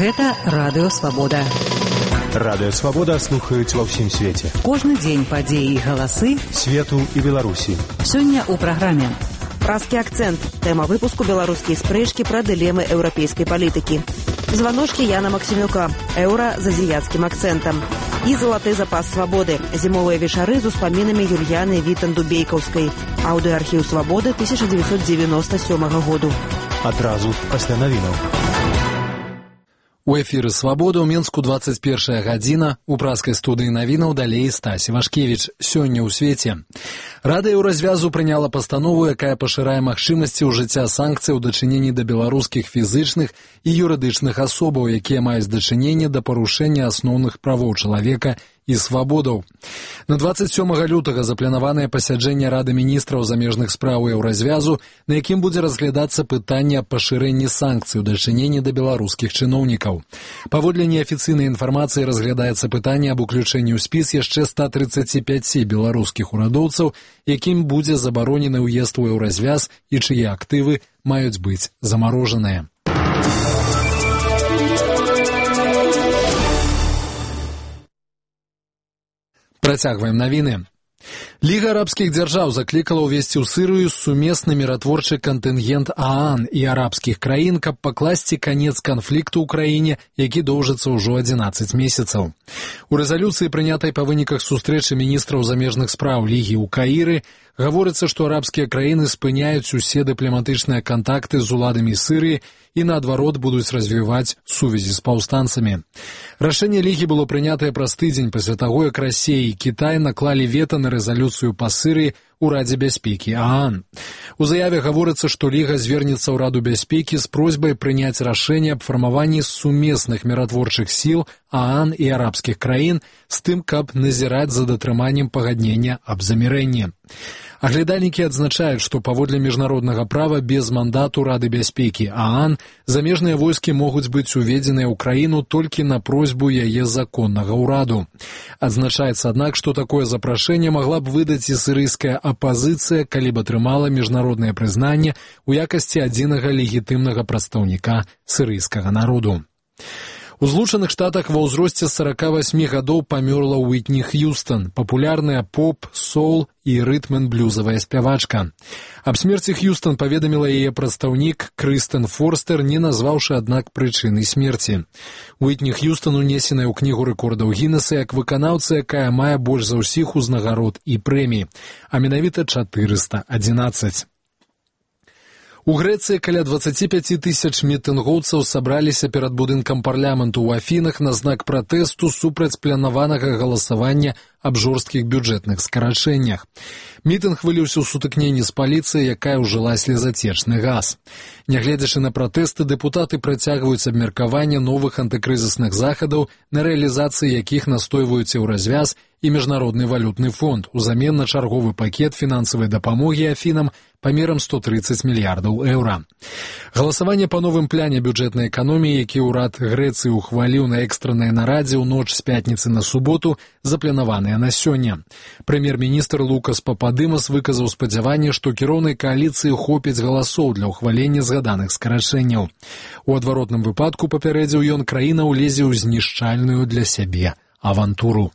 Гэта Радыё Свабода. Радыё Свабода слухаюць ва ўсім свеце. Кожны дзень падзеі і галасы свету і Беларусі. Сёння ў праграме «Празкі акцэнт». Тэма выпуску беларускія спрэчкі пра дылемы еўрапейскай палітыкі. Званочкі Яна Максімюка. Еўра з азіяцкім акцэнтам. І залаты запас свабоды. Зімовыя вечары з успамінамі Юльяны Вітан-Дубейкаўскай. Аўдыоархіў свабоды 1997 году. Адразу пасля навінаў. У эфіры «Свабода» ў Менску 21 гадзіна. У празкай студыі навінаў далей Стась Івашкевіч. Сёння ў свеце. Рада Еўразвязу прыняла пастанову, якая пашырае магчымасці ўжыцця санкцый у дачыненні да беларускіх фізычных і юрыдычных асобаў, якія маюць дачыненне да парушэння асноўных правоў чалавека і свабодаў. На 27 лютага запланаванае пасяджэнне Рады міністраў замежных спраў Еўразвязу, на якім будзе разглядацца пытанне аб пашырэнні санкцый у дачыненні да беларускіх чыноўнікаў. Паводле неафіцыйнай інфармацыі разглядаецца пытанне аб уключэнні ў спіс яшчэ 135 беларускіх урадоўцаў, якім будзе забаронены ўезд у Еўразвяз і чые актывы маюць быць замарожаныя. Працягваем навіны. Ліга арабскіх дзяржаў заклікала ўвесці ў Сірыю сумесны міратворчы кантынгент ААН і арабскіх краін, каб пакласці канец канфлікту ў краіне, які доўжыцца ўжо 11 месяцаў. У рэзалюцыі, прынятай па выніках сустрэчы міністраў замежных спраў Лігі ў Каіры, гаворыцца, што арабскія краіны спыняюць усе дыпламатычныя кантакты з уладамі Сірыі і, наадварот, будуць развіваць сувязі з паўстанцамі. Рашэнне Лігі было прынятае праз тыдзень пасля таго, як Расія і Кітай наклалі вета на рэзалюцыю па Сірыі у Радзе бяспекі ААН. У заяве гаворыцца, што Ліга звернецца ў Раду бяспекі з просьбай прыняць рашэнне аб фармаванні сумесных міратворчых сіл ААН і арабскіх краін з тым, каб назіраць за датрыманнем пагаднення аб замірэнні. Аглядальнікі адзначаюць, што паводле міжнароднага права без мандату Рады бяспекі ААН замежныя войскі могуць быць уведзеныя ў краіну толькі на просьбу яе законнага ўраду. Адзначаецца, аднак, што такое запрашэнне магла б выдаць і сірыйская апазіцыя, калі б атрымала міжнароднае прызнанне ў якасці адзінага легітымнага прадстаўніка сірыйскага народу. У Злучаных Штатах ва ўзросце 48 гадоў памёрла Уітні Х'юстан, папулярная поп, соул і рытм-н-блюзавая спявачка. Аб смерці Х'юстан паведаміла яе прадстаўнік Крыстэн Форстер, не назваўшы, аднак, прычыны смерці. Уітні Х'юстан унесеная ў кнігу рэкордаў Гіннеса як выканаўца, якая мае больш за ўсіх узнагарод і прэмій, а менавіта 411. У Грэцыі каля 25 тысяч мітынгоўцаў сабраліся перад будынкам парламенту ў Афінах на знак пратэсту супраць планаванага галасавання аб жорсткіх бюджэтных скарачэннях. Мітынг выліўся ў сутыкненні з паліцыяй, якая ўжыла слезацечны газ. Нягледзячы на пратэсты, дэпутаты працягваюць абмеркаванне новых антыкрызісных захадаў, на рэалізацыі якіх настойваюць Еўразвяз і Міжнародны валютны фонд узамен на чарговы пакет фінансавай дапамогі Афінам памерам 130 мільярдаў еўра. Галасаванне па новым пляне бюджэтнай эканоміі, які ўрад Грэцыі ухваліў на экстраннай нарадзе ў ноч з пятніцы на суботу, запланаваныя на сёння. Прэм'ер-міністр Лукас Пападымас выказаў спадзяванне, што кіроўнай кааліцыі хопіць галасоў для ўхвалення згаданых скарачэнняў. У адваротным выпадку, папярэдзіў ён, краіна ўлезе ў знішчальную для сябе авантуру.